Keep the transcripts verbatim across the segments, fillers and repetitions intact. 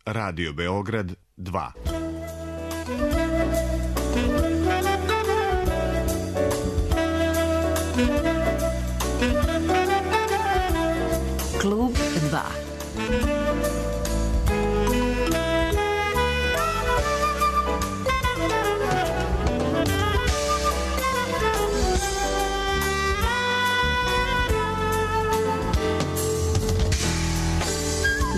Radio Beograd dva. Klub dva.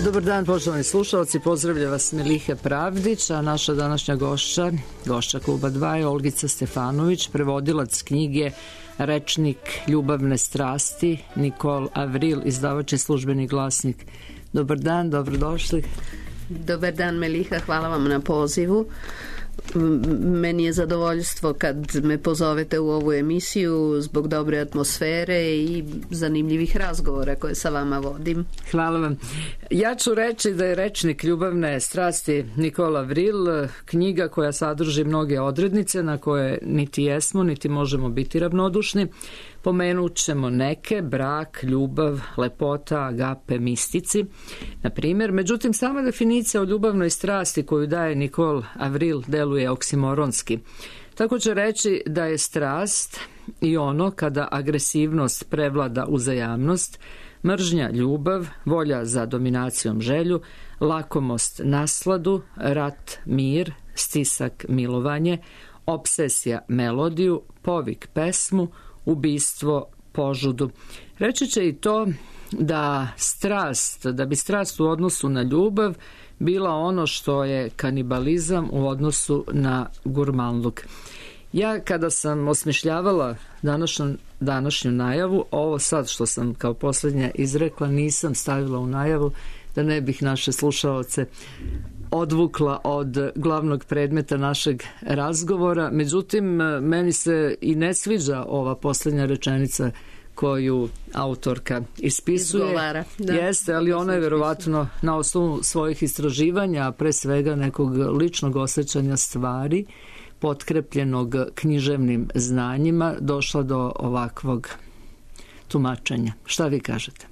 Dobar dan, poštovani slušalci, pozdravlja vas Meliha Pravdić, a naša današnja gošća, gošća Kluba dva je Olgica Stefanović, prevodilac knjige Rečnik ljubavne strasti, Nikol Avril, izdavač i Službeni glasnik. Dobar dan, dobrodošli. Dobar dan, Meliha, hvala vam na pozivu. Meni je zadovoljstvo kad me pozovete u ovu emisiju zbog dobre atmosfere i zanimljivih razgovora koje sa vama vodim. Hvala vam. Ja ću reći da je Rečnik ljubavne strasti Nikol Avril knjiga koja sadrži mnoge odrednice na koje niti jesmo, niti možemo biti ravnodušni. Pomenut ćemo neke: brak, ljubav, lepota, agape, mistici, na primjer. Međutim, sama definicija o ljubavnoj strasti koju daje Nikol Avril deluje oksimoronski. Tako će reći da je strast i ono kada agresivnost prevlada uzajamnost, mržnja ljubav, volja za dominacijom želju, lakomost nasladu, rat mir, stisak milovanje, obsesija melodiju, povik pesmu, ubistvo požudu. Reći će i to da strast, da bi strast u odnosu na ljubav bila ono što je kanibalizam u odnosu na gurmanluk. Ja kada sam osmišljavala današnju, današnju najavu, ovo sad što sam kao posljednja izrekla nisam stavila u najavu da ne bih naše slušaoce odvukla od glavnog predmeta našeg razgovora. Međutim, meni se i ne sviđa ova posljednja rečenica koju autorka ispisuje. Izgovara, da. Jeste, ali ona je verovatno na osnovu svojih istraživanja, a pre svega nekog ličnog osjećanja stvari, potkrepljenog književnim znanjima, došla do ovakvog tumačenja. Šta vi kažete?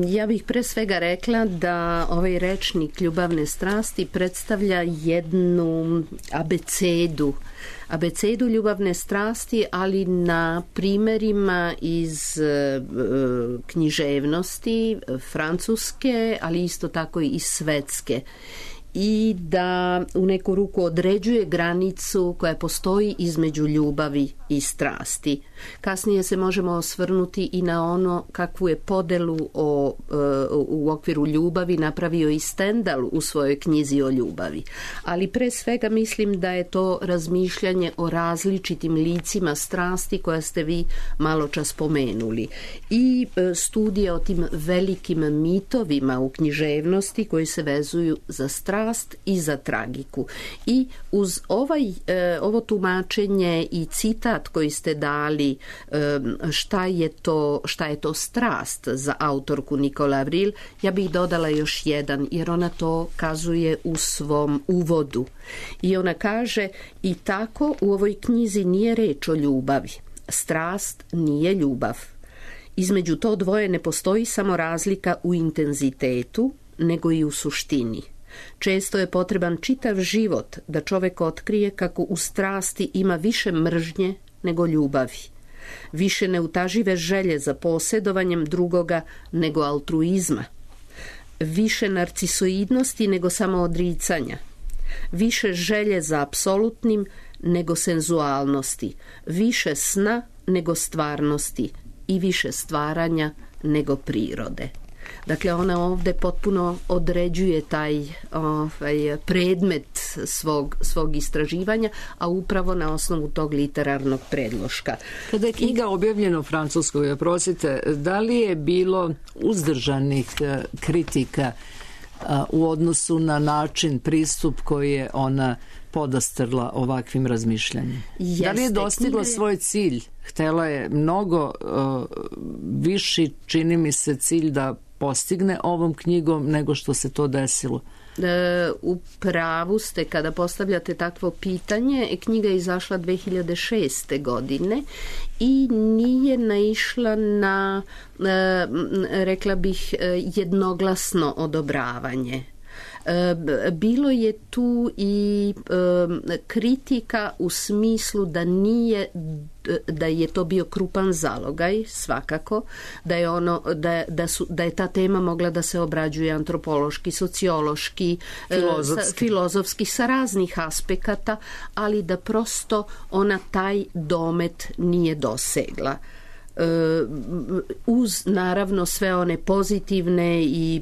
Ja bih pre svega rekla da ovaj rečnik ljubavne strasti predstavlja jednu abecedu, abecedu ljubavne strasti, ali na primerima iz književnosti francuske, ali isto tako i svetske. I da u neku ruku određuje granicu koja postoji između ljubavi i strasti. Kasnije se možemo osvrnuti i na ono kakvu je podelu o, u okviru ljubavi napravio i Stendhal u svojoj knjizi o ljubavi. Ali pre svega mislim da je to razmišljanje o različitim licima strasti koja ste vi malo čas spomenuli. I studije o tim velikim mitovima u književnosti koji se vezuju za strast i za tragiku. I uz ovaj, ovo tumačenje i citat koji ste dali šta je to, šta je to strast za autorku Nikol Avril, ja bih dodala još jedan, jer ona to kazuje u svom uvodu. I ona kaže: i tako u ovoj knjizi nije reč o ljubavi. Strast nije ljubav. Između to dvoje ne postoji samo razlika u intenzitetu, nego i u suštini. Često je potreban čitav život da čovek otkrije kako u strasti ima više mržnje nego ljubavi, više neutažive želje za posjedovanjem drugoga nego altruizma, više narcisoidnosti nego samoodricanja, više želje za apsolutnim nego senzualnosti, više sna nego stvarnosti i više stvaranja nego prirode. Dakle, ona ovdje potpuno određuje taj ovaj, predmet svog, svog istraživanja, a upravo na osnovu tog literarnog predloška. Kada je knjiga objavljena u Francuskoj, prosite, da li je bilo uzdržanih kritika u odnosu na način, pristup koji je ona podastrla ovakvim razmišljanjem? Jeste, da li je dostigla knjige... svoj cilj? Htela je mnogo uh, viši, čini mi se, cilj da postigne ovom knjigom nego što se to desilo. E, u pravu ste kada postavljate takvo pitanje. Knjiga je izašla dve hiljade šeste. godine i nije naišla na, e, rekla bih, jednoglasno odobravanje. Bilo je tu i kritika u smislu da nije, da je to bio krupan zalogaj, svakako, da je ono, da, da, su, da je ta tema mogla da se obrađuje antropološki, sociološki, filozofski. Sa, filozofski sa raznih aspekata, ali da prosto ona taj domet nije dosegla. Uz naravno sve one pozitivne i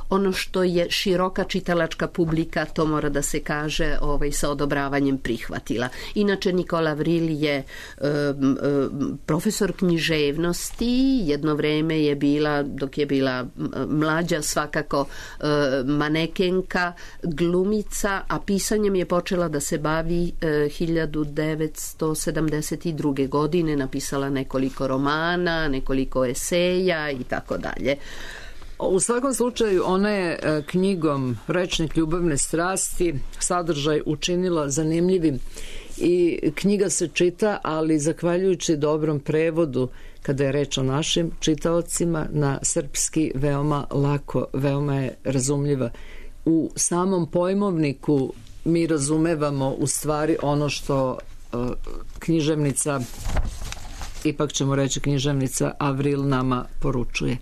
ono što je široka čitalačka publika, to mora da se kaže, ovaj, sa odobravanjem prihvatila. Inače Nicola Vril je um, profesor književnosti, jedno vreme je bila, dok je bila mlađa, svakako uh, manekenka, glumica, a pisanjem je počela da se bavi uh, hiljadu devetsto sedamdeset druge. godine, napisala nekoliko romana, nekoliko eseja i tako dalje. U svakom slučaju ona je knjigom Rečnik ljubavne strasti sadržaj učinila zanimljivim i knjiga se čita, ali zahvaljujući dobrom prevodu, kada je reč o našim čitaocima, na srpski veoma lako, veoma je razumljiva. U samom pojmovniku mi razumevamo u stvari ono što uh, književnica, ipak ćemo reći književnica Avril nama poručuje.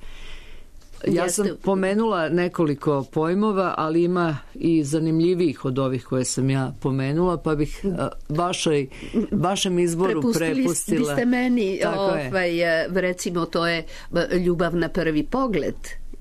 Ja sam pomenula nekoliko pojmova, ali ima i zanimljivijih od ovih koje sam ja pomenula, pa bih vašoj, vašem izboru prepustila. Prepustili biste meni, ovaj, recimo to je ljubav na prvi pogled,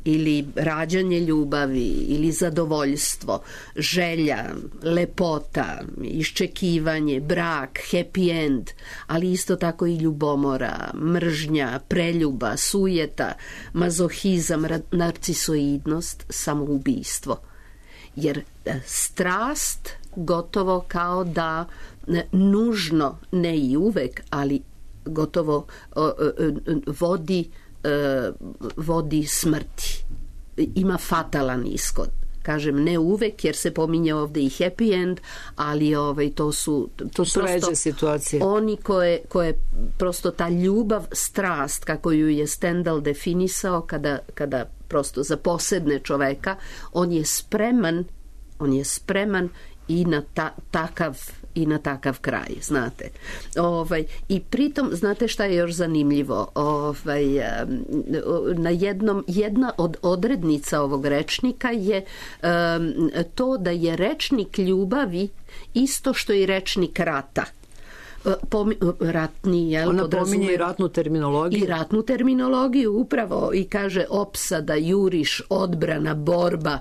ili rađanje ljubavi, ili zadovoljstvo, želja, lepota, iščekivanje, brak, happy end, ali isto tako i ljubomora, mržnja, preljuba, sujeta, mazohizam, narcisoidnost, samoubistvo. Jer strast gotovo kao da nužno, ne i uvek, ali gotovo vodi vodi smrti. Ima fatalan ishod. Kažem, ne uvek, jer se pominje ovde i happy end, ali ovaj, to su, to su ređe situacije. Oni koje, koje prosto ta ljubav, strast, kako ju je Stendhal definisao, kada, kada prosto zaposedne čoveka, on je spreman, on je spreman i na ta, takav i na takav kraj, znate. Ovaj, i pritom, znate šta je još zanimljivo? Ovaj, na jednom, jedna od odrednica ovog rečnika je um, to da je rečnik ljubavi isto što i rečnik rata. Pomi, ratni, jel, ona pominje i ratnu terminologiju. I ratnu terminologiju, upravo, i kaže opsada, juriš, odbrana, borba,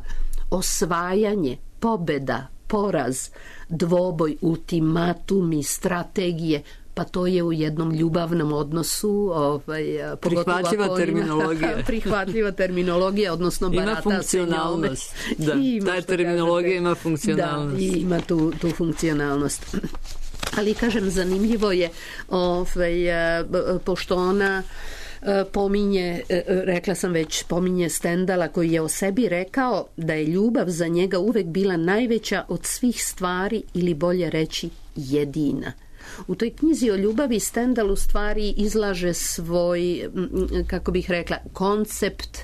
osvajanje, pobeda, poraz, dvoboj, ultimatumi, strategije, pa to je u jednom ljubavnom odnosu, ovaj, prihvatljiva terminologija. Ima, prihvatljiva terminologija, odnosno barata ima funkcionalnost. Da, ta terminologija ima funkcionalnost. Da, ima tu, tu funkcionalnost. Ali, kažem, zanimljivo je, ovaj, pošto ona pominje, rekla sam već, pominje Stendhala, koji je o sebi rekao da je ljubav za njega uvek bila najveća od svih stvari, ili bolje reći jedina. U toj knjizi o ljubavi Stendhal u stvari izlaže svoj, kako bih rekla, koncept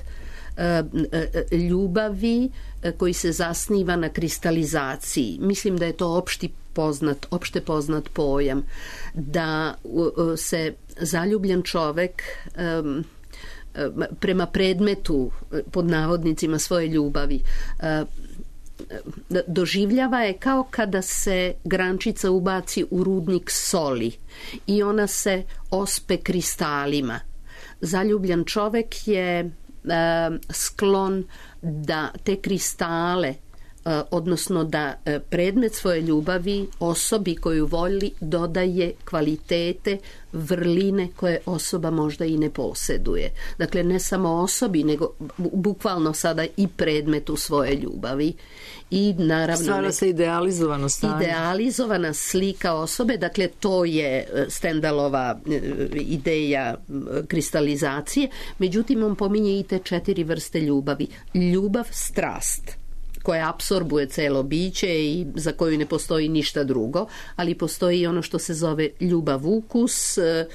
ljubavi koji se zasniva na kristalizaciji. Mislim da je to opšti poznat, opšte poznat pojam, da se zaljubljen čovek um, prema predmetu, pod navodnicima, svoje ljubavi doživljava je kao kada se grančica ubaci u rudnik soli i ona se ospe kristalima. Zaljubljen čovek je uh, sklon da te kristale, odnosno da predmet svoje ljubavi osobi koju voli dodaje kvalitete, vrline koje osoba možda i ne posjeduje. Dakle, ne samo osobi, nego bukvalno sada i predmetu svoje ljubavi. I naravno stvara se idealizovano stanje. Idealizovana slika osobe, dakle to je Stendhalova ideja kristalizacije. Međutim, on pominje i te četiri vrste ljubavi. Ljubav, strast, koja apsorbuje celo biće i za koju ne postoji ništa drugo, ali postoji ono što se zove ljubav ukus e, e,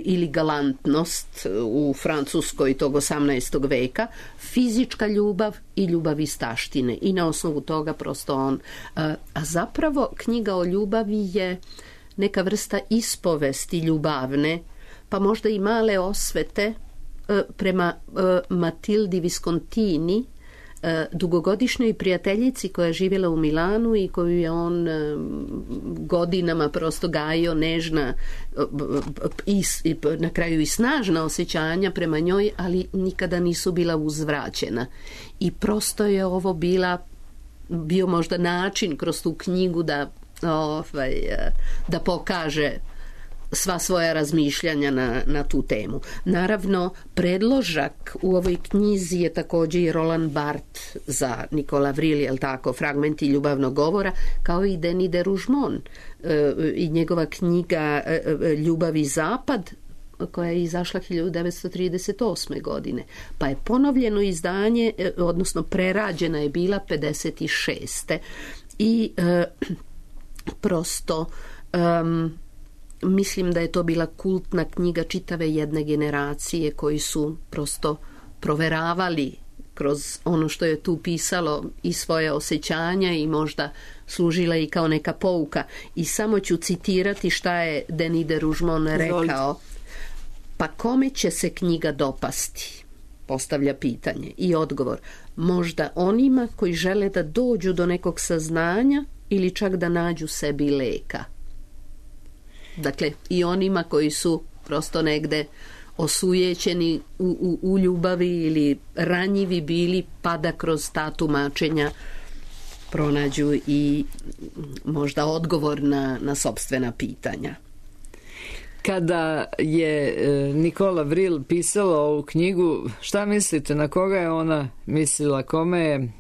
ili galantnost u Francuskoj tog osamnaestog veka, fizička ljubav i ljubav iz taštine. I na osnovu toga prosto on... E, a zapravo knjiga o ljubavi je neka vrsta ispovesti ljubavne, pa možda i male osvete e, prema e, Matildi Viscontini, dugogodišnjoj prijateljici koja je živjela u Milanu i koju je on godinama prosto gajio nežna i, i na kraju i snažna osjećanja prema njoj, ali nikada nisu bila uzvraćena. I prosto je ovo bila bio možda način kroz tu knjigu da, ovaj, da pokaže sva svoja razmišljanja na, na tu temu. Naravno, predložak u ovoj knjizi je također i Roland Barthes za Nicolas Vril, jel tako, fragmenti ljubavnog govora, kao i Denis de Rougemont e, i njegova knjiga e, Ljubav i zapad, koja je izašla hiljadu devetsto trideset osme. godine. Pa je ponovljeno izdanje, e, odnosno prerađena je bila pedeset šeste. I e, prosto... Um, mislim da je to bila kultna knjiga čitave jedne generacije koji su prosto proveravali kroz ono što je tu pisalo i svoje osjećanja i možda služila i kao neka pouka. I samo ću citirati šta je Denis de Rougemont rekao. Pa kome će se knjiga dopasti? Postavlja pitanje. I odgovor. Možda onima koji žele da dođu do nekog saznanja ili čak da nađu sebi leka. Dakle, i onima koji su prosto negde osujećeni u, u, u ljubavi ili ranjivi bili, pa da kroz ta tumačenja pronađu i možda odgovor na, na sopstvena pitanja. Kada je Nicolas Vril pisala ovu knjigu, šta mislite, na koga je ona mislila, kome je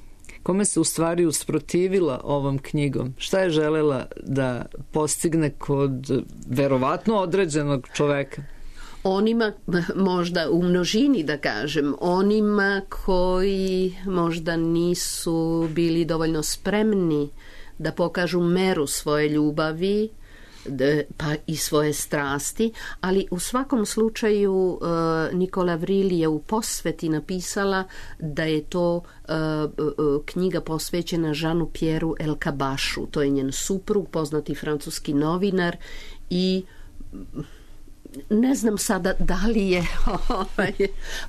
Kome se u stvari usprotivila ovom knjigom? Šta je želela da postigne kod verovatno određenog čoveka? Onima, možda u množini da kažem, onima koji možda nisu bili dovoljno spremni da pokažu meru svoje ljubavi, pa i svoje strasti, ali u svakom slučaju uh, Nicolas Vril je u posveti napisala da je to uh, uh, knjiga posvećena Jeanu Pierreu Elkabashu, to je njen suprug, poznati francuski novinar i ne znam sada da li je ovaj,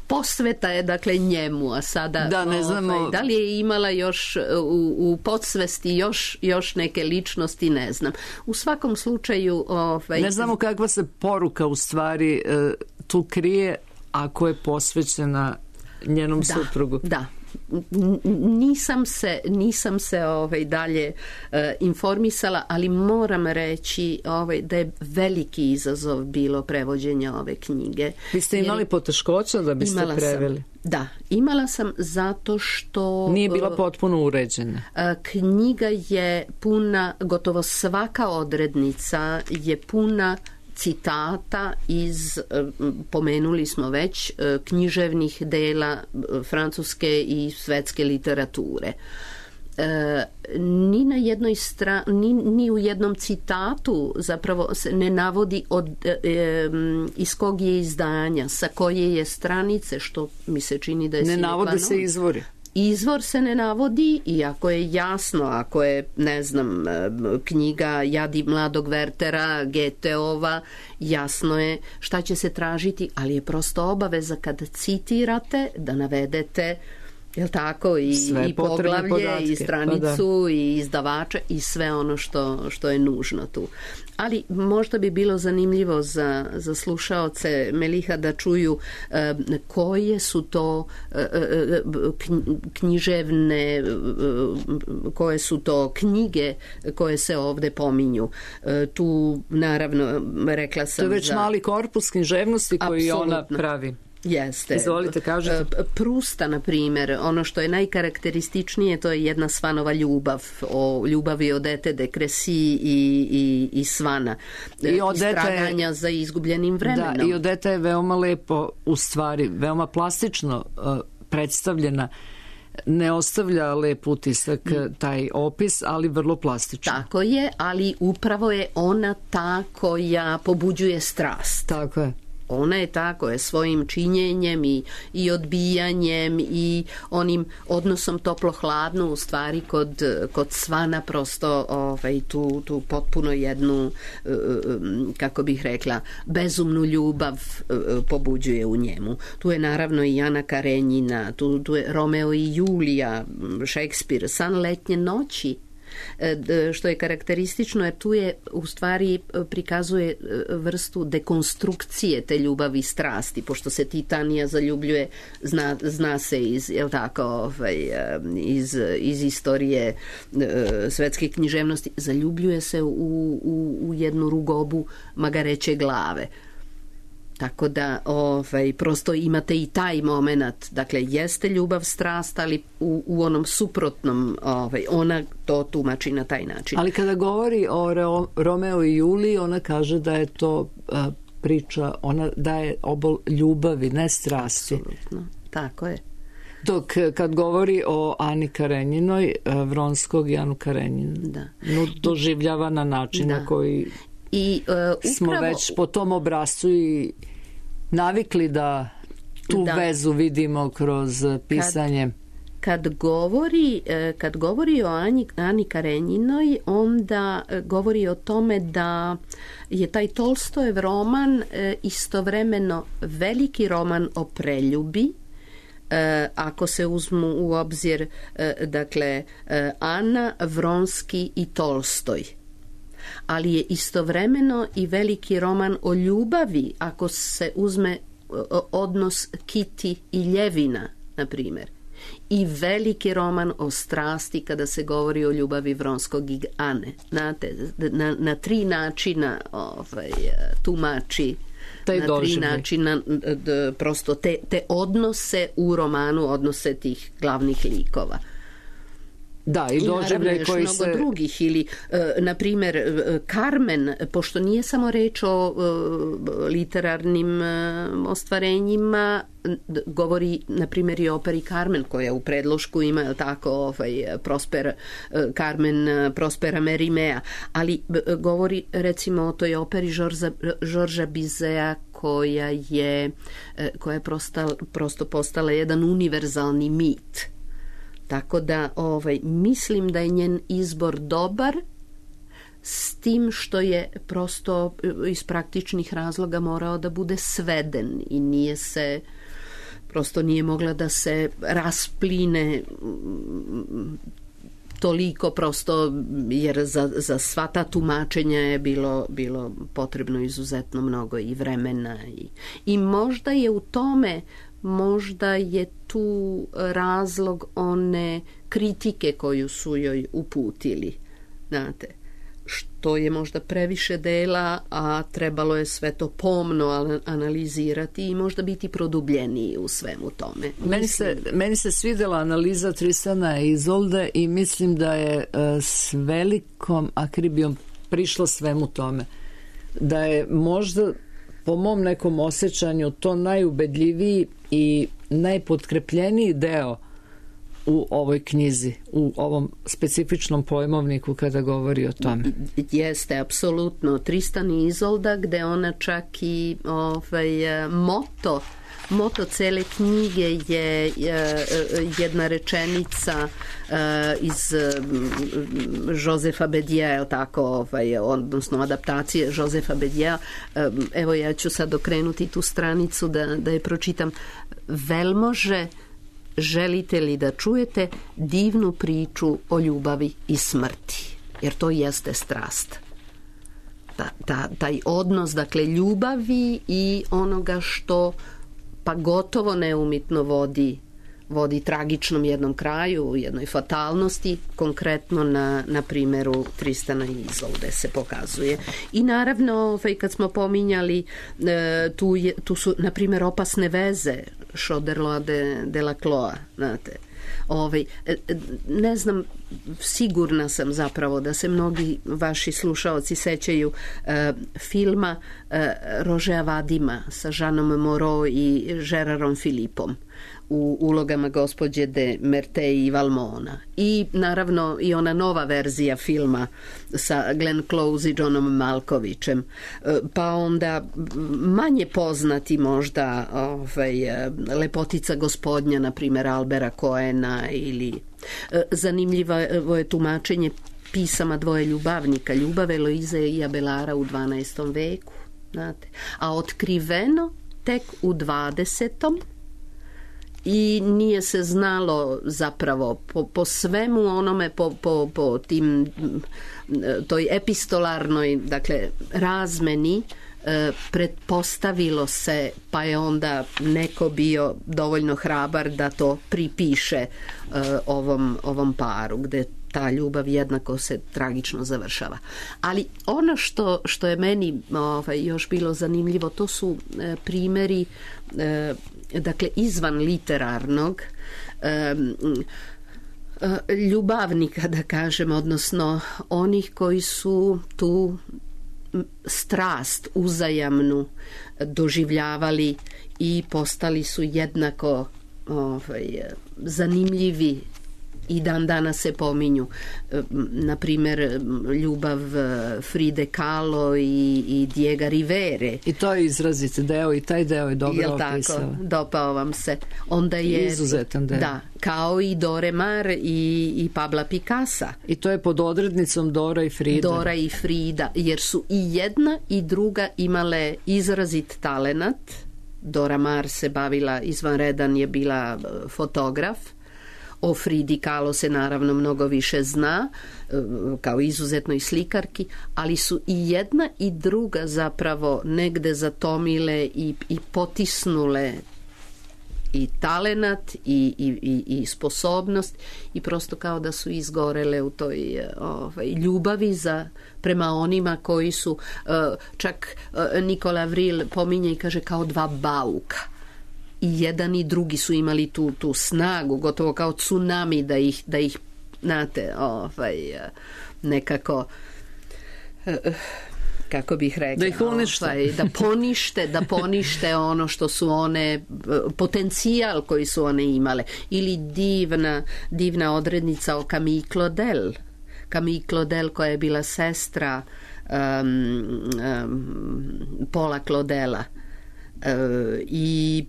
posveta je dakle njemu, a sada da, ne znamo, ovaj, da li je imala još u, u podsvesti još, još neke ličnosti, ne znam. U svakom slučaju ovaj, ne znamo kakva se poruka u stvari tu krije ako je posvećena njenom da, suprugu. Da, nisam se nisam se ovaj dalje uh, informisala, ali moram reći ovaj da je veliki izazov bilo prevođenje ove knjige. Vi ste imali jer poteškoća da biste preveli? Sam, da, imala sam zato što nije bila potpuno uređena. Uh, knjiga je puna, gotovo svaka odrednica je puna citata iz, pomenuli smo već, književnih dela francuske i svetske literature. E, ni na jednoj stra, ni, ni u jednom citatu zapravo se ne navodi od, e, e, iz kog je izdanja, sa koje je stranice, što mi se čini da je ne navode se izvori. Izvor se ne navodi, iako je jasno, ako je, ne znam, knjiga Jadi mladog Wertera, Goetheova, jasno je šta će se tražiti, ali je prosto obaveza kad citirate da navedete, jel tako, i, i poglavlje, podatke, i stranicu, pa i izdavača i sve ono što, što je nužno tu. Ali možda bi bilo zanimljivo za, za slušaoce Meliha da čuju e, koje su to e, književne, e, koje su to knjige koje se ovde pominju. E, tu naravno rekla sam... To je već za... mali korpus književnosti koji Apsolutno. Ona pravi. Jeste. Izvolite, kažete. Prusta, na primjer, ono što je najkarakterističnije, to je jedna Svanova ljubav, o ljubavi Odete de Crécy i, i, i Svana. I Istraganja za izgubljenim vremenom. Da, i Odeta je veoma lepo, u stvari, veoma plastično uh, predstavljena. ne ostavlja lep utisak taj opis, ali vrlo plastično. Tako je, ali upravo je ona ta koja pobuđuje strast. Tako je. Ona je tako je svojim činjenjem i, i odbijanjem i onim odnosom toplo-hladno u stvari kod, kod Svana prosto ovaj, tu, tu potpuno jednu, kako bih rekla, bezumnu ljubav pobuđuje u njemu. Tu je naravno i Ana Karenjina, tu, tu je Romeo i Julija, Šekspir, San letnje noći, što je karakteristično jer tu je u stvari prikazuje vrstu dekonstrukcije te ljubavi i strasti, pošto se Titanija zaljubljuje, zna, zna se iz, jel tako, ovaj, iz, iz istorije svetske književnosti, zaljubljuje se u, u, u jednu rugobu magareće glave. Tako da ovaj, prosto imate i taj moment, dakle jeste ljubav strast, ali u, u onom suprotnom ovaj, ona to tumači na taj način. Ali kada govori o Ro, Romeo i Juliji, ona kaže da je to a, priča, ona daje obol ljubavi, ne strasti. Apsolutno, tako je. Dok kad govori o Ani Karenjinoj, Vronskog i Anu Karenjinu, da. No, doživljava na način na koji I, uh, upravo, smo već po tom obrascu i navikli da tu da. vezu vidimo kroz pisanje. Kad, kad, govori, kad govori o Ani, Ani Karenjinoj, onda govori o tome da je taj Tolstojev roman istovremeno veliki roman o preljubi, ako se uzmu u obzir dakle Ana, Vronski i Tolstoj. Ali je istovremeno i veliki roman o ljubavi ako se uzme odnos Kiti i Ljevina, na primjer. I veliki roman o strasti kada se govori o ljubavi Vronskog i Ane. Znate, na, na tri načina ovaj, tumači Taj na tri doživljaj. načina d, prosto te, te odnose u romanu, odnose tih glavnih likova. Da, i doživljaj koji mnogo se... drugih ili, e, na primjer, Carmen, pošto nije samo reč o e, literarnim e, ostvarenjima, govori, na primjer, i operi Carmen, koja u predlošku ima, je tako, ovaj, Prosper, e, Carmen Prospera Merimea, ali e, govori, recimo, o toj operi Žorža Bizea, koja je, e, koja je prosto, prosto postala jedan univerzalni mit. Tako da ovaj, mislim da je njen izbor dobar, s tim što je prosto iz praktičnih razloga morao da bude sveden i nije se, prosto nije mogla da se raspline toliko prosto, jer za, za sva ta tumačenja je bilo, bilo potrebno izuzetno mnogo i vremena. I, i možda je u tome možda je tu razlog one kritike koju su joj uputili, znate, što je možda previše dela, a trebalo je sve to pomno analizirati i možda biti produbljeniji u svemu tome. Meni se, meni se svidjela analiza Tristana i Izolde i mislim da je s velikom akribijom prišla svemu tome. Da je možda po mom nekom osjećanju to najubedljiviji i najpotkrepljeniji deo u ovoj knjizi, u ovom specifičnom pojmovniku kada govori o tome. Jeste, apsolutno. Tristan i Izolda, gde ona čak i ovaj, moto moto cele knjige je jedna rečenica iz Josefa Bedija, tako, ovaj, odnosno adaptacije Josefa Bedija. Evo, ja ću sad okrenuti tu stranicu da, da je pročitam. Velmože, želite li da čujete divnu priču o ljubavi i smrti? Jer to jeste strast. Ta, ta, taj odnos, dakle, ljubavi i onoga što pa gotovo neumitno vodi, vodi tragičnom jednom kraju, jednoj fatalnosti, konkretno na, na primjeru Tristana i Izolde se pokazuje. I naravno, ovaj, kad smo pominjali, tu, je, tu su, na primjer, opasne veze Choderlos de, de la Cloa, znate. Ovaj, ne znam, sigurna sam zapravo da se mnogi vaši slušaoci sećaju e, filma e, Rožea Vadima sa Žanom Moreau i Žerarom Filipom, u ulogama gospođe de Merteuil i Valmona. I naravno i ona nova verzija filma sa Glenn Close i Johnom Malkovićem. Pa onda manje poznati možda ovaj, Lepotica gospodnja, na primjer Albera Coena, ili zanimljivo je tumačenje pisama dvoje ljubavnika, ljubav Eloize i Abelara u dvanaestom veku, znate, a otkriveno tek u dvadesetom i nije se znalo zapravo po, po svemu onome, po, po, po tim toj epistolarnoj, dakle, razmeni, e, pretpostavilo se, pa je onda neko bio dovoljno hrabar da to pripiše e, ovom, ovom paru, gde ta ljubav jednako se tragično završava. Ali ono što, što je meni ovaj, još bilo zanimljivo, to su e, primjeri e, dakle izvan literarnog e, e, ljubavnika, da kažem, odnosno onih koji su tu strast uzajamnu doživljavali i postali su jednako ovaj, zanimljivi i dan danas se pominju. Na primjer, ljubav Fride Kahlo i, i Diega Rivere. I to je izrazit deo i taj deo je dobro opisao. Jel tako? Dopao vam se. Onda je, izuzetan deo. Da, kao i Dore Maar i, i Pabla Picassa. I to je pod odrednicom Dora i Frida. Dora i Frida, jer su i jedna i druga imale izrazit talenat. Dora Maar se bavila, izvanredan je bila fotograf. O Fridi Kahlo se naravno mnogo više zna, kao izuzetnoj slikarki, ali su i jedna i druga zapravo negde zatomile i, i potisnule i talenat i, i, i, i sposobnost i prosto kao da su izgorele u toj ovaj, ljubavi za, prema onima koji su, čak Nikola Vril pominje i kaže kao dva bauka. I jedan i drugi su imali tu, tu snagu, gotovo kao tsunami da ih, da ih znate, ovaj, nekako, kako bih rekla, da ih unište. Ovaj, da ponište, da ponište ono što su one, potencijal koji su one imale. Ili divna, divna odrednica o Camille Claudel. Camille Claudel koja je bila sestra um, um, Paula Claudela. I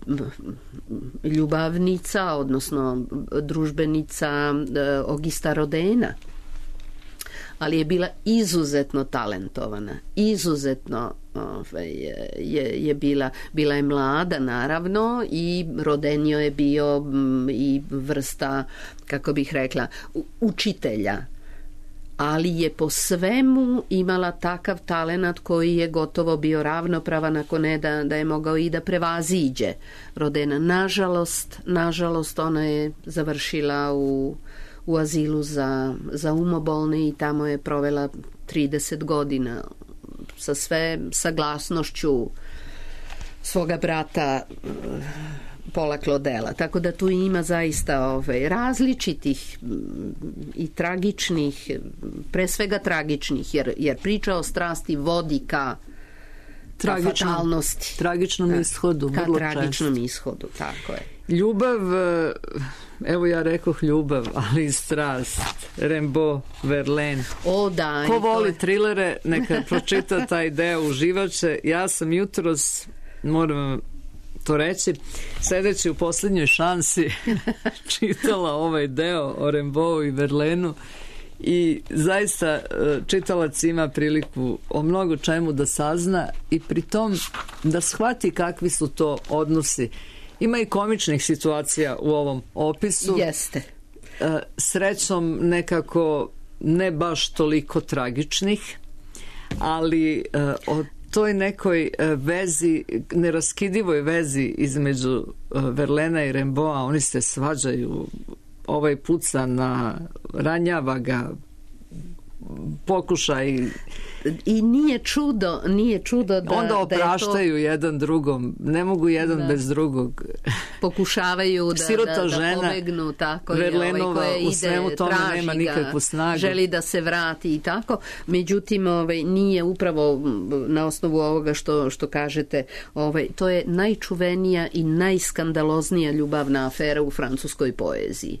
ljubavnica, odnosno družbenica Augusta Rodena, ali je bila izuzetno talentovana, izuzetno ovaj, je, je bila, bila je mlada naravno i Rodenio je bio i vrsta, kako bih rekla, učitelja, ali je po svemu imala takav talenat koji je gotovo bio ravnopravan, ako ne da, da je mogao i da prevaziđe Rodena. Nažalost, nažalost ona je završila u, u azilu za, za umobolne i tamo je provela trideset godina sa sve saglasnošću svoga brata Paula Claudela, tako da tu ima zaista ovaj, različitih i tragičnih, pre svega tragičnih, jer, jer priča o strasti vodi ka, ka fatalnosti. Tragičnom ka, ishodu. Ka vrlo tragičnom često. ishodu, tako je. Ljubav, evo ja rekoh ljubav, ali i strast. Rimbaud, Verlaine. O, da. Ko voli je... trilere, neka pročita taj deo, uživaće. Ja sam jutros, moram to reći, sedeći u posljednjoj šansi čitala ovaj deo o Rimbaud i Verlaineu i zaista čitalac ima priliku o mnogo čemu da sazna i pritom da shvati kakvi su to odnosi. Ima i komičnih situacija u ovom opisu. Jeste. Srećom nekako ne baš toliko tragičnih, ali od toj nekoj vezi, neraskidivoj vezi između Verlaina i Rimbaуда, oni se svađaju, ovaj puca na, ranjava ga, pokušaj. I nije čudo, nije čudo da... Onda opraštaju da to, jedan drugom, ne mogu jedan da, bez drugog. Pokušavaju da, Sirota da, žena, da pobegnu, tako Verlenova, je, ovaj, u svemu ide, tome traži nema nikakvu snagu. Želi da se vrati i tako. Međutim, ovaj, nije upravo na osnovu ovoga što, što kažete, ovaj, to je najčuvenija i najskandaloznija ljubavna afera u francuskoj poeziji.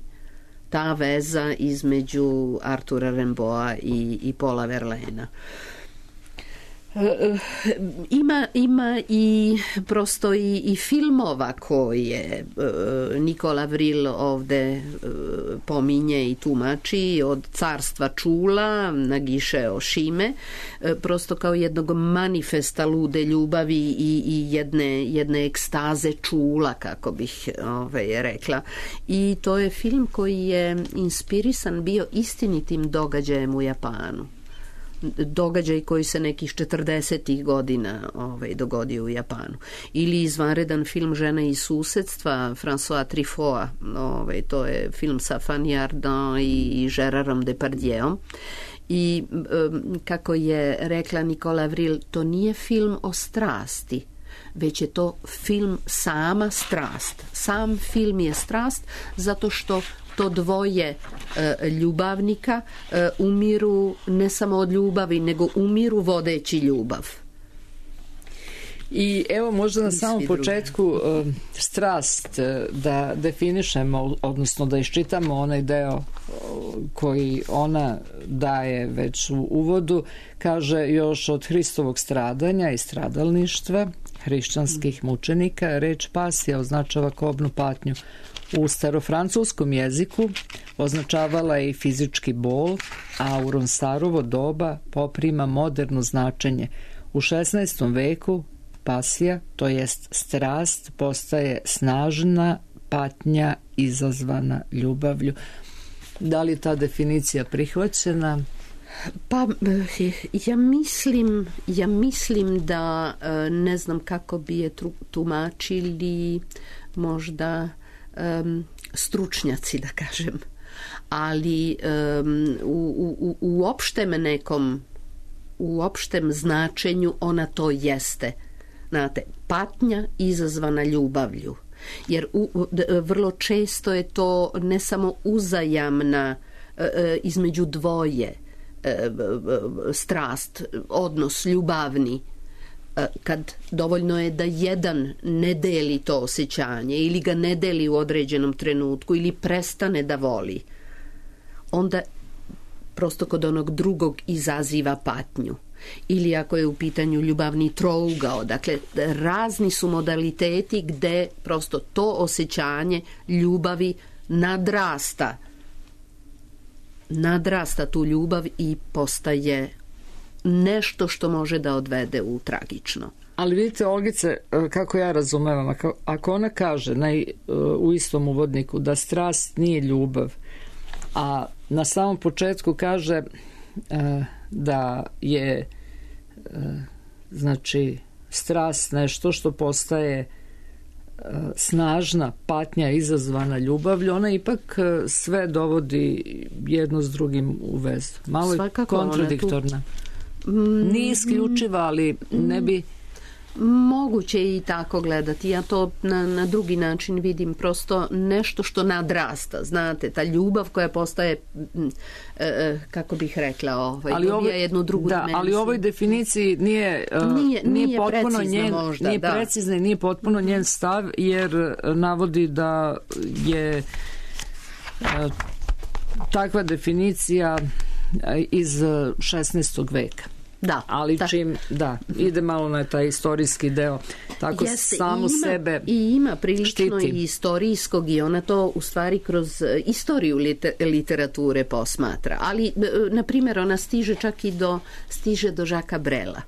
Ta veza između Artura Rimbaуда i, i Paula Verlaina. Ima, ima i prosto i, i filmova koje uh, Nicolas Vril ovde uh, pominje i tumači, od Carstva čula na Giše Ošime, uh, prosto kao jednog manifesta lude ljubavi i, i jedne, jedne ekstaze čula, kako bih ovaj, rekla. I to je film koji je inspirisan bio istinitim događajem u Japanu. Događaj koji se nekih četrdesetih godina ovaj, dogodio u Japanu. Ili izvanredan film Žena iz susedstva François Truffaut, ovaj, to je film sa Fanny Ardant i Gérardom Depardieuom. I um, kako je rekla Nicolas Vril, to nije film o strasti, već je to film sama strast. Sam film je strast zato što to dvoje e, ljubavnika e, umiru ne samo od ljubavi, nego umiru vodeći ljubav. I evo možda na samom početku e, strast e, da definišemo, odnosno da iščitamo onaj deo koji ona daje već u uvodu, kaže još od Hristovog stradanja i stradalništva hrišćanskih mučenika, reč pasija označava kobnu patnju. U starofrancuskom jeziku označavala je i fizički bol, a u Ronsarovo doba poprima moderno značenje. U šesnaestom veku pasija, to jest strast, postaje snažna patnja izazvana ljubavlju. Da li je ta definicija prihvaćena? Pa ja mislim, ja mislim da ne znam kako bi je tumačili možda Um, stručnjaci, da kažem, ali um, u, u, u opštem nekom u opštem značenju ona to jeste. Znate, patnja izazvana ljubavlju, jer u, vrlo često je to ne samo uzajamna uh, između dvoje uh, strast, odnos ljubavni, kad dovoljno je da jedan ne deli to osjećanje ili ga ne deli u određenom trenutku ili prestane da voli, onda prosto kod onog drugog izaziva patnju. Ili ako je u pitanju ljubavni trougao, dakle razni su modaliteti gde prosto to osjećanje ljubavi nadrasta nadrasta tu ljubav i postaje nešto što može da odvede u tragično. Ali vidite, Olgice, kako ja razumevam, ako, ako ona kaže naj, u istom uvodniku da strast nije ljubav, a na samom početku kaže da je znači strast nešto što postaje snažna patnja izazvana ljubavlju, ona ipak sve dovodi jedno s drugim u vezu. Malo je kontradiktorna. Nije isključiva, ali ne bi... Moguće i tako gledati. Ja to na, na drugi način vidim, prosto nešto što nadrasta. Znate, ta ljubav koja postaje, e, kako bih rekla, ovaj, ali dobija ovoj, jednu drugu da, dimenziju. ali u ovoj definiciji nije, nije, nije, nije potpuno njen, možda, nije da. precizna i nije potpuno njen stav, jer navodi da je e, takva definicija iz šesnaestog veka. Da, ali da. čim, da, ide malo na taj istorijski deo, tako Jeste, samu ima, sebe i ima prilično štiti. I istorijskog i ona to u stvari kroz istoriju literature posmatra, ali na primjer ona stiže čak i do stiže do Žaka Brela.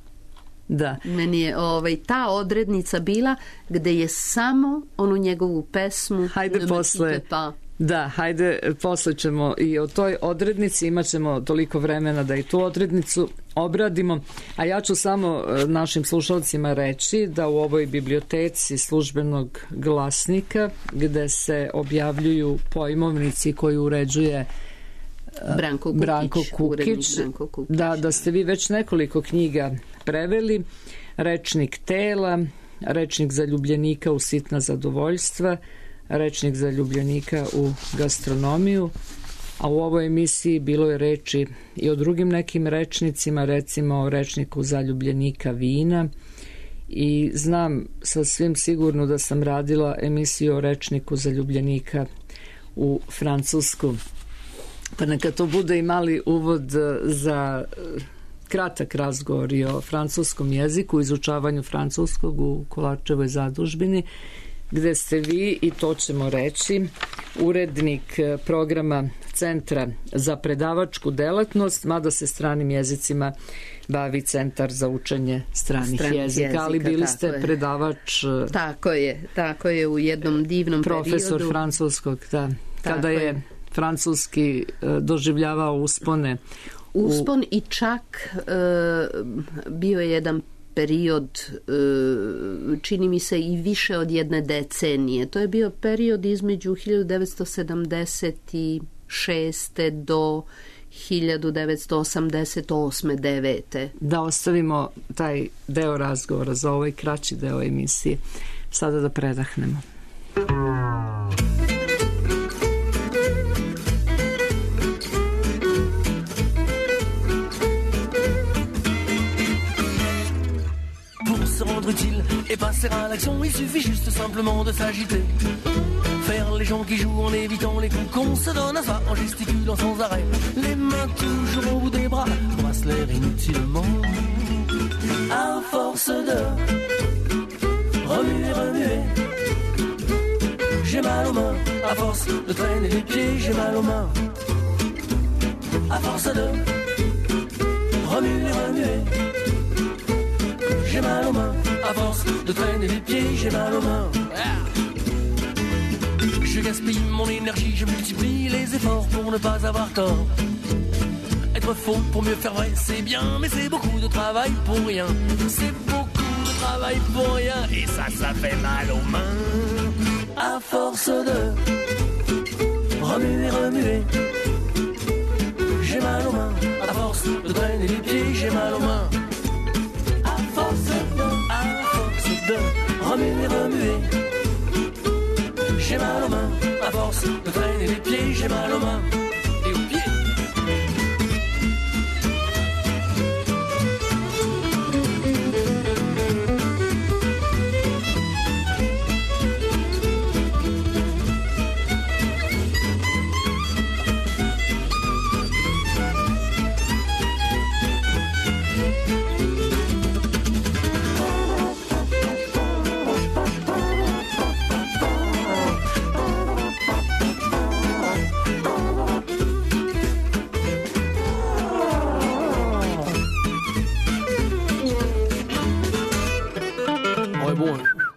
Da. Meni je ovaj, ta odrednica bila gde je samo onu njegovu pesmu Hajde posle pa Da, hajde, posle ćemo i o toj odrednici, imat ćemo toliko vremena da i tu odrednicu obradimo, a ja ću samo našim slušalcima reći da u ovoj biblioteci službenog glasnika, gde se objavljuju pojmovnici koji uređuje Branko Kukić, Branko Kukić, Branko Kukić. Da, da ste vi već nekoliko knjiga preveli. Rečnik tela, Rečnik zaljubljenika u sitna zadovoljstva, Rečnik zaljubljenika u gastronomiju, a u ovoj emisiji bilo je reči i o drugim nekim rečnicima, recimo o Rečniku zaljubljenika vina, i znam sasvim sigurno da sam radila emisiju o Rečniku zaljubljenika u Francusku. Pa neka to bude i mali uvod za kratak razgovor i o francuskom jeziku, izučavanju francuskog u Kolarčevoj zadužbini, gde ste vi, i to ćemo reći, urednik programa Centra za predavačku delatnost, mada se stranim jezicima bavi Centar za učenje stranih, stranih jezika, jezika, ali bili ste je. predavač. Tako je, tako je, u jednom divnom profesor periodu. francuskog, da. Kada je, je francuski doživljavao uspone. Uspon u... i čak e, bio je jedan period, čini mi se i više od jedne decenije. To je bio period između hiljadu devetsto sedamdeset šeste do hiljadu devetsto osamdeset osme devete Da ostavimo taj deo razgovora za ovaj kraći deo emisije. Sada da predahnemo. Se rendre utile et passer à l'action, il suffit juste simplement de s'agiter. Faire les gens qui jouent en évitant les coups qu'on se donne à soi, en gesticulant sans arrêt, les mains toujours au bout des bras, brasse l'air inutilement. À force de remuer, remuer, j'ai mal aux mains. À force de traîner les pieds, j'ai mal aux mains. À force de remuer, remuer, j'ai mal aux mains. À force de traîner les pieds, j'ai mal aux mains. Je gaspille mon énergie, je multiplie les efforts pour ne pas avoir tort. Être faux pour mieux faire vrai, c'est bien, mais c'est beaucoup de travail pour rien. C'est beaucoup de travail pour rien, et ça, ça fait mal aux mains. À force de remuer, remuer, j'ai mal aux mains. À force de traîner les pieds, j'ai mal aux mains. À force de, à force de remuer, remuer, j'ai mal aux mains. À force de traîner les pieds, j'ai mal aux mains. Et aux pieds.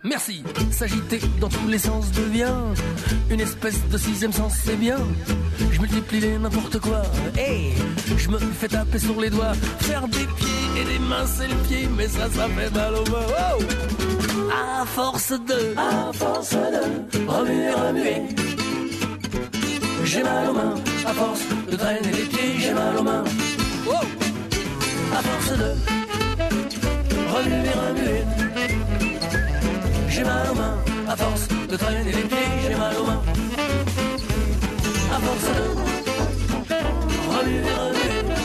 Merci, s'agiter dans tous les sens devient une espèce de sixième sens, c'est bien. Je multiplie les n'importe quoi, hey, je me fais taper sur les doigts. Faire des pieds et des mains c'est le pied, mais ça, ça fait mal aux mains. Oh, à force de, à force de remuer, remuer, j'ai mal aux mains. À force de traîner les pieds, j'ai mal aux mains. Oh, à force de remuer, remuer, j'ai mal aux mains. À force de traîner les pieds, j'ai mal aux mains. À force de remuer, remuer,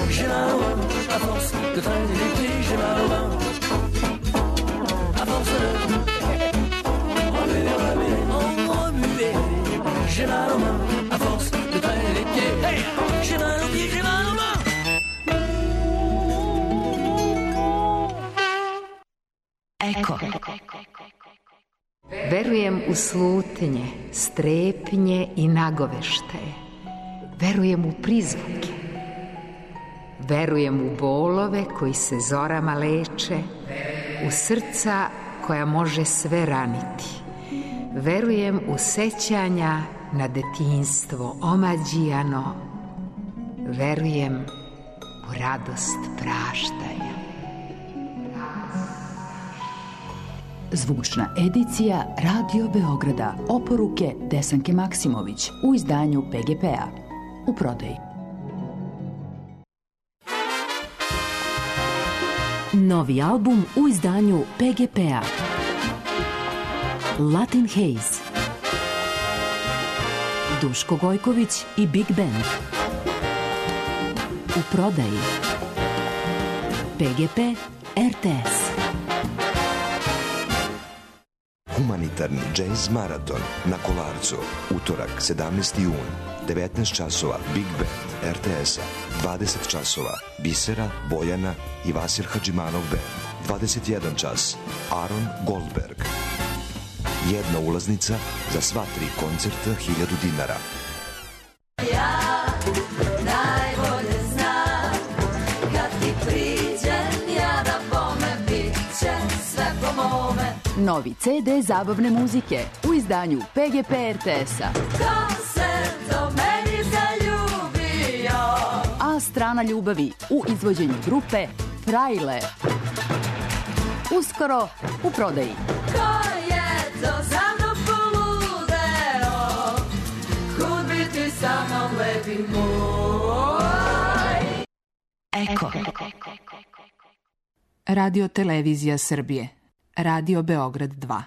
j'ai mal aux mains. À force de traîner les pieds, j'ai mal aux mains. À force de remuer, remuer, remuer, j'ai mal aux mains. À force de traîner les pieds, hey, j'ai mal aux pieds, j'ai mal aux mains. Eko. Verujem u slutnje, strepnje i nagoveštaje. Verujem u prizvuke. Verujem u bolove koji se zorama leče, u srca koja može sve raniti. Verujem u sećanja na detinjstvo omađijano. Verujem u radost praštanja. Zvučna edicija Radio Beograda, oporuke Desanke Maksimović u izdanju P G P-a. u prodaji. Novi album u izdanju P G P-a. Latin Haze. Duško Gojković i Big Band. U prodaji. P G P R T S. Humanitarni džez maraton na Kolarcu. Utorak, sedamnaesti jun, devetnaest časova, Big Band R T S-a. dvadeset časova, Bisera, Bojana i Vasir Hadžimanov Band. dvadeset jedan čas, Aaron Goldberg. Jedna ulaznica za sva tri koncerta, hiljadu dinara. Ja najbolje znam, kad ti priđem, ja da bome, bit će sve po mome. Novi C D zabavne muzike u izdanju P G P R T S-a. Ko se do meni zaljubio? A strana ljubavi u izvođenju grupe Frajle. Uskoro u prodaji. Ko je to za mnom poludeo? Kud bi ti sa mnom lepi moj? Eko. Radio Televizija Srbije. Radio Beograd dva.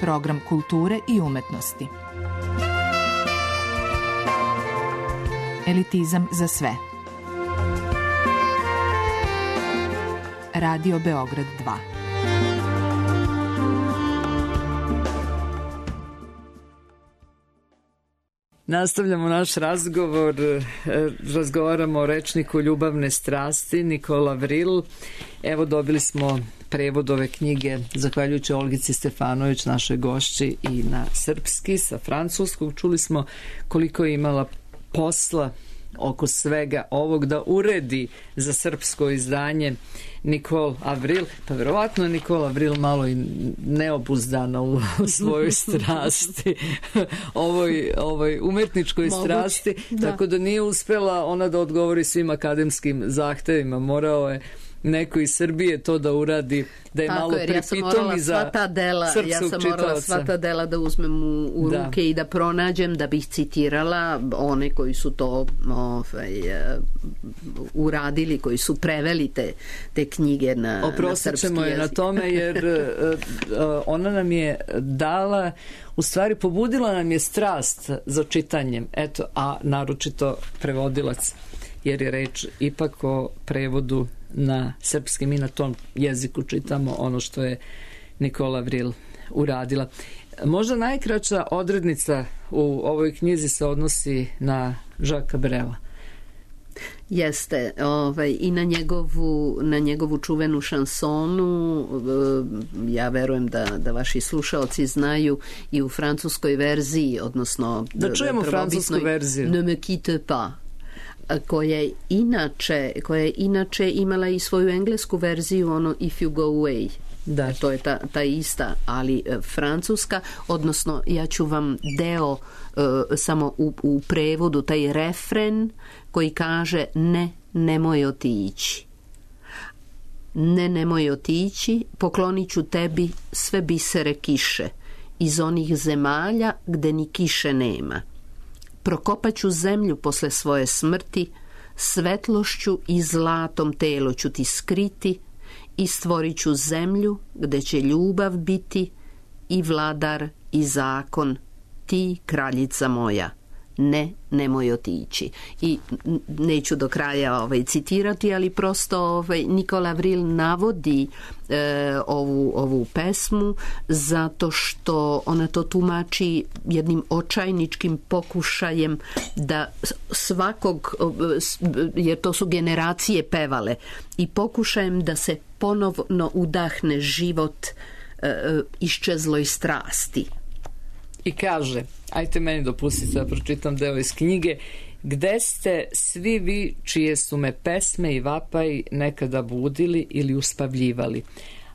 Program kulture i umetnosti. Elitizam za sve. Radio Beograd dva. Nastavljamo naš razgovor, razgovaramo o rečniku ljubavne strasti, Nikola Vril. Evo, dobili smo prevod ove knjige, zahvaljujući Olgici Stefanović, našoj gošći, i na srpski, sa francuskog. Čuli smo koliko je imala posla oko svega ovog da uredi za srpsko izdanje Nikol Avril, pa verovatno je Nikola Avril malo i neobuzdana u svojoj strasti, ovoj, ovoj umetničkoj Moguće, strasti, da. Tako da nije uspela ona da odgovori svim akademskim zahtevima, morao je neko iz Srbije to da uradi, da je tako, malo pripitomi za sva ta dela, srpskog ja sam morala čitaoca. Sva ta dela da uzmem u, u da. ruke i da pronađem, da bih citirala one koji su to ovaj, uh, uradili, koji su preveli te, te knjige na, na srpski jezik. Oprostit ćemo je na tome, jer uh, uh, ona nam je dala, u stvari pobudila nam je strast za čitanjem, eto, a naročito prevodilac, jer je reč ipak o prevodu na srpski. Mi na tom jeziku čitamo ono što je Nikola Vril uradila. Možda najkraća odrednica u ovoj knjizi se odnosi na Žaka Brela. Jeste, ovaj, i na njegovu, na njegovu čuvenu šansonu, ja verujem da, da vaši slušaoci znaju, i u francuskoj verziji, odnosno da čujemo francusku verziju. Ne me quitte pas, koja je inače, koja je inače imala i svoju englesku verziju, ono If You Go Away. Da. To je ta, ta ista, ali e, francuska, odnosno ja ću vam deo e, samo u, u prevodu, taj refren koji kaže ne, nemoj otići. Ne, nemoj otići, poklonit ću tebi sve bisere kiše iz onih zemalja gde ni kiše nema. Prokopat ću zemlju posle svoje smrti, svetlošću i zlatom telo ću ti skriti i stvorit ću zemlju gde će ljubav biti i vladar i zakon, ti kraljica moja. Ne, nemoj otići. I neću do kraja ovaj, citirati, ali prosto ovaj, Nikola Vril navodi e, ovu, ovu pesmu zato što ona to tumači jednim očajničkim pokušajem da svakog, jer to su generacije pevale, i pokušajem da se ponovno udahne život e, iščezloj strasti. I kaže, ajte meni dopustite da pročitam deo iz knjige: gde ste svi vi čije su me pesme i vapaji nekada budili ili uspavljivali?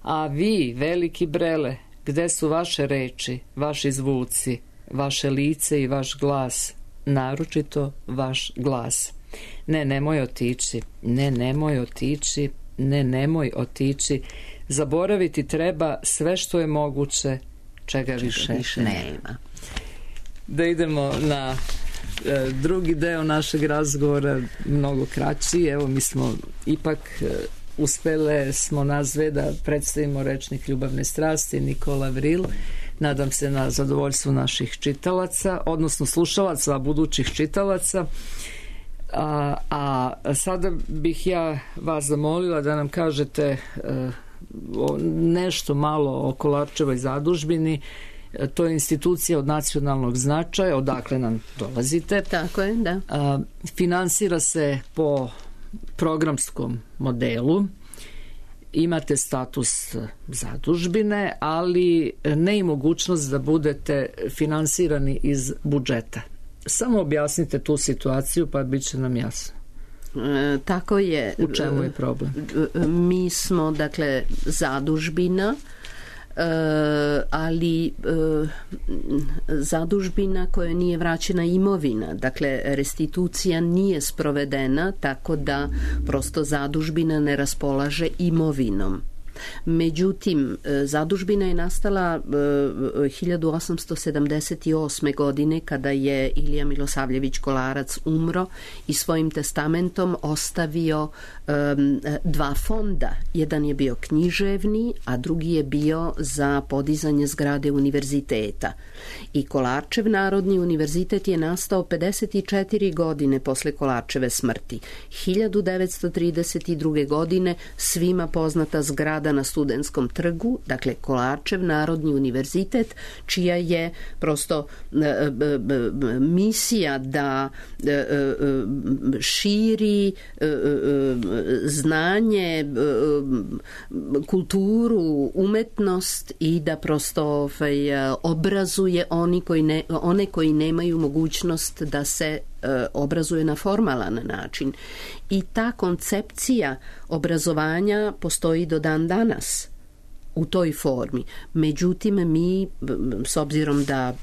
A vi, veliki Brele, gde su vaše reči, vaši zvuci, vaše lice i vaš glas, naročito vaš glas? Ne, nemoj otići, ne, nemoj otići, ne, nemoj otići. Zaboraviti treba sve što je moguće, čega više, više nema. nema. Da idemo na e, drugi deo našeg razgovora, mnogo kraći. Evo, mi smo ipak e, uspele smo nazve da predstavimo rečnik ljubavne strasti Nikola Vril. Nadam se na zadovoljstvo naših čitalaca, odnosno slušalaca, a budućih čitalaca. A, a sada bih ja vas zamolila da nam kažete e, o, nešto malo o Kolarčevoj zadužbini. E, to je institucija od nacionalnog značaja, odakle nam dolazite. Tako je, da. A, finansira se po programskom modelu. Imate status zadužbine, ali ne i mogućnost da budete finansirani iz budžeta. Samo objasnite tu situaciju, pa bit će nam jasno. E, tako je. U čemu je problem? Mi smo, dakle, zadužbina, e, ali e, zadužbina koja nije vraćena imovina. Dakle, restitucija nije sprovedena, tako da prosto zadužbina ne raspolaže imovinom. Međutim, zadužbina je nastala hiljadu osamsto sedamdeset osme. godine kada je Ilija Milosavljević Kolarac umro i svojim testamentom ostavio um, dva fonda. Jedan je bio književni, a drugi je bio za podizanje zgrade univerziteta. I Kolarčev Narodni univerzitet je nastao pedeset četiri godine posle Kolarčeve smrti. hiljadu devetsto trideset druge. godine svima poznata zgrada na Studentskom trgu, dakle Kolarčev Narodni univerzitet, čija je prosto e, e, misija da e, e, širi e, e, znanje, e, kulturu, umetnost i da prosto ovaj, obrazuje oni koji ne, one koji nemaju mogućnost da se obrazuje na formalan način. I ta koncepcija obrazovanja postoji do dan danas u toj formi. Međutim, mi, s obzirom da,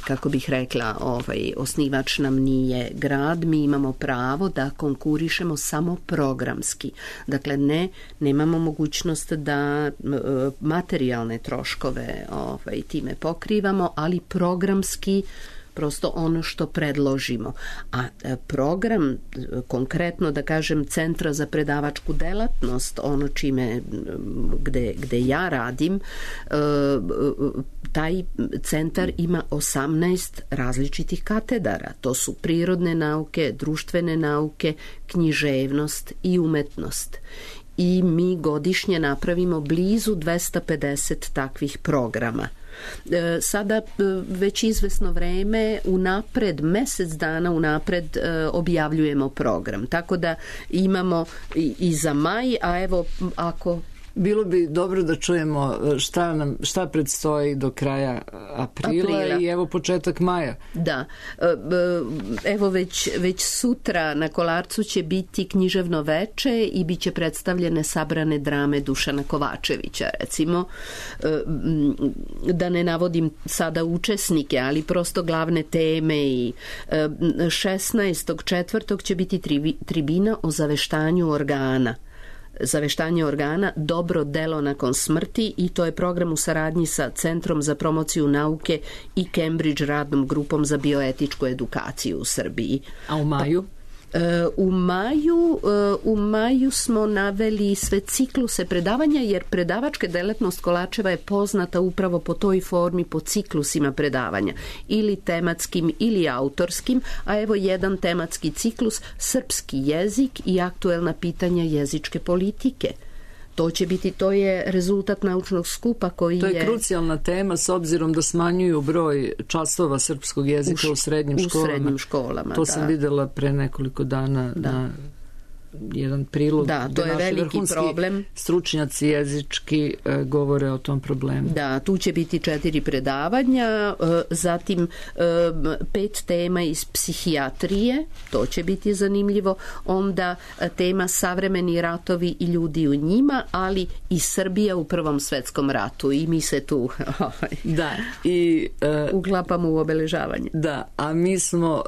kako bih rekla, ovaj, osnivač nam nije grad, mi imamo pravo da konkurišemo samo programski. Dakle, ne, nemamo mogućnost da materijalne troškove ovaj, time pokrivamo, ali programski prosto ono što predložimo. A program, konkretno da kažem Centra za predavačku delatnost, ono čime gde, gde ja radim, taj centar ima osamnaest različitih katedara. To su prirodne nauke, društvene nauke, književnost i umetnost. I mi godišnje napravimo blizu dvesta pedeset takvih programa. Sada već izvesno vreme unapred, mesec dana unapred objavljujemo program. Tako da imamo i, i za maj, a evo ako... Bilo bi dobro da čujemo šta nam šta predstoji do kraja aprila, aprila. I evo početak maja. Da. Evo već, već sutra na Kolarcu će biti književno veče i bit će predstavljene sabrane drame Dušana Kovačevića, recimo. Da ne navodim sada učesnike, ali prosto glavne teme. I šesnaestog četvrtog će biti tribina o zaveštanju organa. Zaveštanje organa, dobro delo nakon smrti, i to je program u saradnji sa Centrom za promociju nauke i Cambridge radnom grupom za bioetičku edukaciju u Srbiji. A u maju? U maju, u maju smo naveli sve cikluse predavanja, jer predavačka delatnost Kolarčeva je poznata upravo po toj formi, po ciklusima predavanja, ili tematskim ili autorskim, a evo jedan tematski ciklus, srpski jezik i aktuelna pitanja jezičke politike. To će biti, to je rezultat naučnog skupa koji je... To je, je krucijalna tema s obzirom da smanjuju broj časova srpskog jezika u, u srednjim školama. U srednjim školama, To da. sam videla pre nekoliko dana da. na jedan prilog. Da, to je veliki problem. Stručnjaci jezički e, govore o tom problemu. Da, tu će biti četiri predavanja, e, zatim e, pet tema iz psihijatrije, to će biti zanimljivo, onda e, tema savremeni ratovi i ljudi u njima, ali i Srbija u Prvom svetskom ratu, i mi se tu da, i, e, uklapamo u obeležavanje. Da, a mi smo,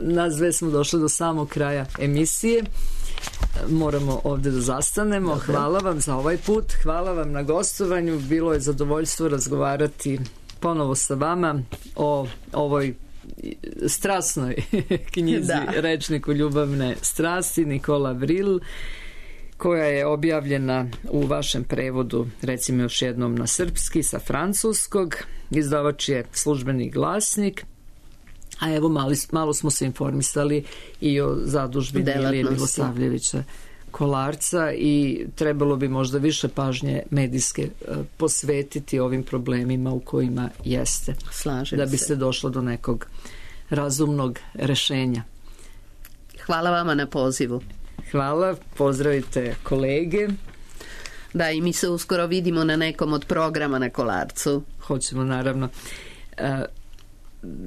nas dve smo došli do samog kraja emisije. moramo ovdje da zastanemo. Dobro. Hvala vam za ovaj put, hvala vam na gostovanju, bilo je zadovoljstvo razgovarati ponovo sa vama o ovoj strasnoj knjizi Da. Rečniku ljubavne strasti Nikola Vril, koja je objavljena u vašem prevodu, recimo još jednom na srpski, sa francuskog. Izdavač je Službeni glasnik. A evo mali, malo smo se informisali i o zadužbini Ilije Milosavljevića Kolarca i trebalo bi možda više pažnje medijske e, posvetiti ovim problemima u kojima jeste. Slažem da bi se. se došlo do nekog razumnog rešenja. Hvala vama na pozivu. Hvala, pozdravite kolege. Da, i mi se uskoro vidimo na nekom od programa na Kolarcu. Hoćemo, naravno. E,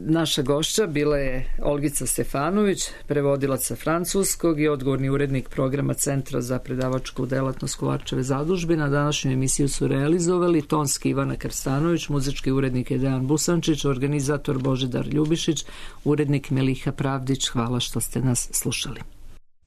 naša gošća bila je Olgica Stefanović, prevodilac sa francuskog i odgovorni urednik programa Centra za predavačku delatnost Kolarčeve zadužbine. Na današnju emisiju su realizovali tonski Ivana Krstanović, muzički urednik je Dejan Busančić, organizator Božidar Ljubišić, urednik Meliha Pravdić. Hvala što ste nas slušali.